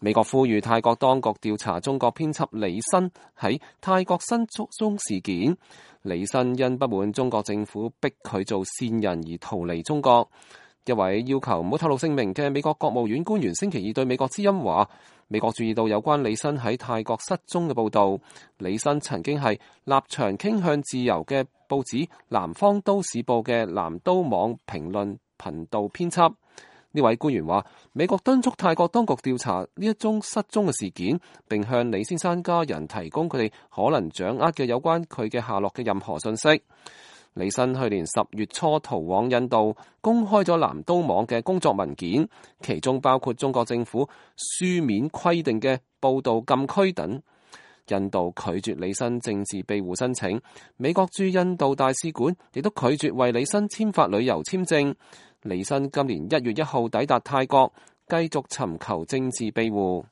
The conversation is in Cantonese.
美國呼籲泰國當局調查中國編輯李新喺泰國失蹤事件。李新因不滿中國政府逼佢做線人而逃離中國。一位要求唔好透露姓名嘅美國國務院官員星期二對美國之音話，美國注意到有關李新喺泰國失蹤嘅報導。李新曾經係立場傾向自由嘅報紙《南方都市報》嘅南都網評論頻道編輯。呢位官員話，美國敦促泰國當局調查呢一宗失蹤嘅事件，並向李先生家人提供佢哋可能掌握嘅有關佢嘅下落嘅任何信息。李新去年10月初逃往印度，公開咗南都網嘅工作文件，其中包括中國政府書面規定嘅報道禁區等。印度拒絕李新政治庇護申請，美國駐印度大使館亦都拒絕為李新簽發旅遊簽證。李新今年1月1號抵達泰國，繼續尋求政治庇護。